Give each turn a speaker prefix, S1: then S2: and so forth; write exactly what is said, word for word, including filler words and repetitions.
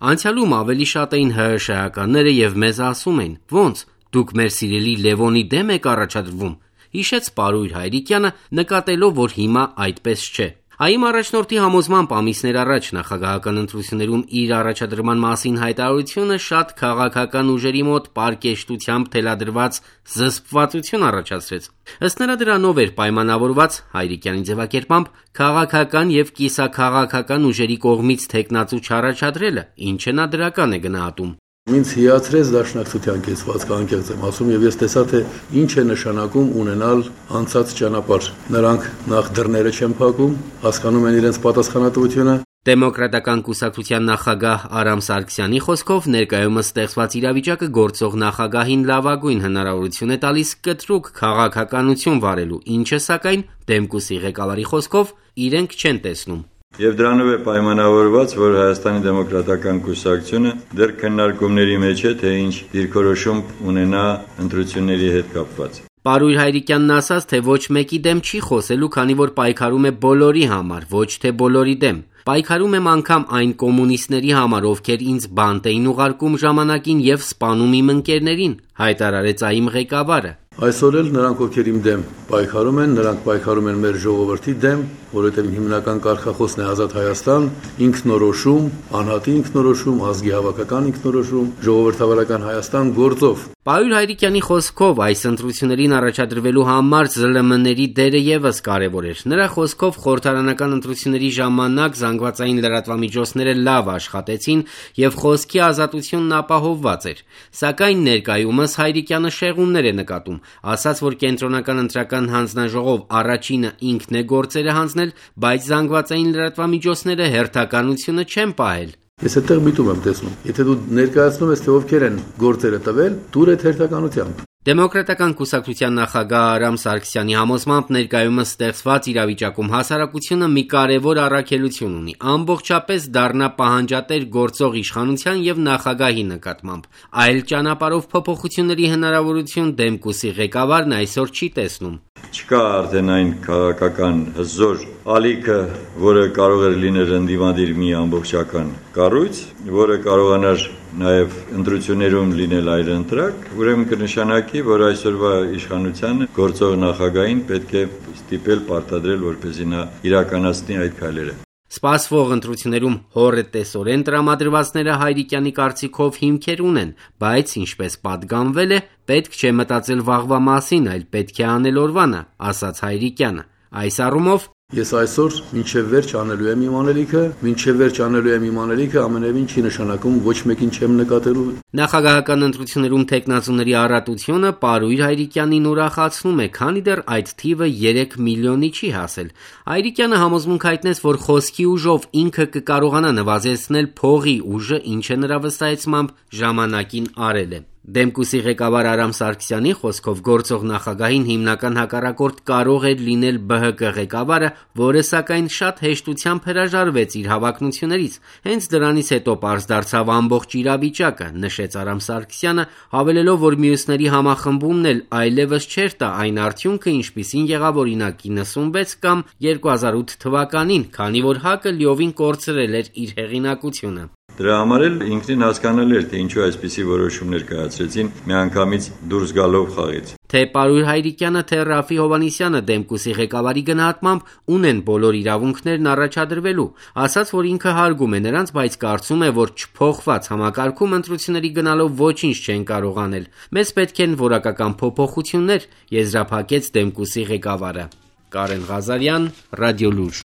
S1: Անցյալում ավելի շատ էին ՀՀՇ-ականները եւ մեզ ասում էին. «Ոնց, դուք մեր սիրելի Լևոնի դեմ եք առաջադրվում», հիշեց Պարույր Հայրիկյանը, նկատելով, որ հիմա այդպես չէ։ ԱԻՄ առաջնորդի համոզմամբ ամիսներ առաջ նախագահական ընտրություններում իր առաջադրման մասին հայտարարությունը շատ քաղաքական ուժերի մոտ պարկեշտությամբ թելադրված զսպվածություն առաջացրեց։ Ըստ նրա դրանով էր պայմանավորված, Հայրիկյանի ձևակերպամբ, քաղաքական եւ կիսաքաղաքական ուժերի կողմից թեկնածու չառաջադրելը, ինչը նա դրական է գնահատում։
S2: Ինձ հիացրեց դաշնակցության կեցվածքը, անկեղծ եմ ասում, եւ ես տեսա, թե ինչ է նշանակում ունենալ անցած ճանապարհ։ Նրանք նախ դռները չեն փակում, հասկանում են իրենց պատասխանատվությունը։
S1: Դեմոկրատական կուսակցության նախագահ Արամ Սարգսյանի խոսքով ներկայումս ստեղծված իրավիճակը գործող նախագահին լավագույն հնարավորություն է տալիս կտրուկ քաղաքականություն վարելու, ինչը սակայն Դեմկուսի ղեկավարի խոսքով իրենք չեն տեսնում։
S3: Եվ դրանով է պայմանավորված, որ Հայաստանի դեմոկրատական կուսակցությունը դեռ քննարկումների մեջ է, թե ինչ դիրքորոշում ունենա ընտրությունների հետ կապված։
S1: Պարույր Հայրիկյանն ասաց, թե ոչ մեկի դեմ չի խոսելու, քանի որ պայքարում է բոլորի համար, ոչ թե բոլորի դեմ։ Պայքարում եմ անգամ այն կոմունիստների համար, ովքեր ինձ բանտ էին ուղարկում ժամանակին եւ սպանում իմ ընկերներին, հայտարարեց ԱԻՄ ղեկավարը։
S2: Այսօր էլ նրանք, ովքեր իմ դեմ պայքարում են, նրանք պայքարում են մեր ժողովրդի դեմ, որովհետև հիմնական կարգախոսն է Ազատ Հայաստան, ինքնորոշում, անհատի ինքնորոշում, ազգի հավաքական ինքնորոշում, ժողովրդավարական Հայաստան գործով։
S1: Պարույր Հայրիկյանի խոսքով այս ընտրություններին առաջադրվելու համար ԶԼՄ-ների դերը եւս կարեւոր էր։ Նրա խոսքով խորհրդարանական ընտրությունների ժամանակ զանգվածային լրատվամիջոցները լավ աշխատեցին եւ խոսքի ազատությունն ապահովված էր։ Սակայն ներկայումս Հայրիկյանը շեղումներ է նկատում, ասաց, որ կենտրոնական ընտրական հանձնաժողով առաջինը ինքն է գործերը հանձնել, բայց զանգվածային լրատվամիջոցները հերթականությունը չեն պահել։
S2: Ես այդտեղ միտում եմ տեսնում։ Եթե դու ներկայացնում ես, թե ովքեր են գործերը տվել, դուր այդ հերթականությամբ։
S1: Դեմոկրատական կուսակցության նախագահ Արամ Սարգսյանի համոզմամբ ներկայումս ստեղծված իրավիճակում հասարակությունը մի կարևոր առաքելություն ունի, ամբողջապես դառնա պահանջատեր գործող իշխանության եւ նախագահի նկատմամբ։ Այլ ճանապարհով փոփոխությունների հնարավորություն Դեմկուսի ղեկավարն այսօր չի տեսնում։
S3: Չկա արդեն այն քաղաքական հզոր ալիքը, որը կարող էր լինել ընդդիմադիր մի ամբողջական կառույց, որը կարողանար նաև ընտրություններում լինել այլընտրակ, ուրեմն կնշանակի, որ այսօրվա իշխանությանը գործող նախագահին պետք է ստիպել պարտադրել, որպեսզի նա իրականացնի այդ քայլերը։
S1: Սպասվող ընտրություններում հոռետեսորեն տրամադրվածները Հայրիկյանի կարծիքով հիմքեր ունեն, բայց ինչպես պատգամվել է, պետք չէ մտածել վաղվա մասին, այլ պետք է անել օրվանը, ասաց Հայրիկյանը։ Այս առումով
S2: Ես այսօր մինչև վերջ անելու եմ իմ անելիքը, մինչև վերջ անելու եմ իմ անելիքը, ամենևին չի նշանակում ոչ մեկին չեմ նկատելու։
S1: Նախագահական ընտրություններում թեկնածուների առատությունը Պարույր Հայրիկյանին ուրախացնում է, քանի դեռ այդ թիվը երեք միլիոնի չի հասել։ Հայրիկյանը համոզմունք հայտնեց, որ խոսքի ուժով ինքը կկարողանա նվազեցնել փողի ուժը, ինչը նրա վստահեցմամբ ժամանակին արել է։ Դեմկուսի ղեկավար Արամ Սարգսյանի խոսքով գործող նախագահին հիմնական հակառակորդ կարող էր լինել ԲՀԿ ղեկավարը, որը սակայն շատ հեշտությամբ հրաժարվեց իր հավակնություններից։ Հենց դրանից հետո պարզ դարձավ ամբողջ իրավիճակը, նշեց Արամ Սարգսյանը, հավելելով, որ մյուսների համախմբումն էլ այլևս չէր տա այն արդյունքը, ինչպիսին եղավ օրինակ իննսունվեց կամ երկու հազար ութ թվականին, քանի որ ՀԱԿ-ը լիովին կորցրել էր իր հեղինակությունը։
S3: Դրա համար էլ ինքնին հասկանալի էր, թե ինչու այսպիսի որոշումներ կայացրեցին միանգամից դուրս գալով խաղից։
S1: Թե Պարույր Հայրիկյանը, թե Ռաֆի Հովհաննիսյանը Դեմկուսի ղեկավարի գնահատմամբ ունեն բոլոր իրավունքներն առաջադրվելու, ասաց, որ ինքը հարգում է նրանց, բայց կարծում է, որ չփոխված համակարգում ընտրությունների գնալով ոչինչ չեն կարող անել։ Մեզ պետք են որակական փոփոխություններ, եզրափակեց Դեմկուսի ղեկավարը։ Կարեն Ղազարյան, Ռադիոլուր։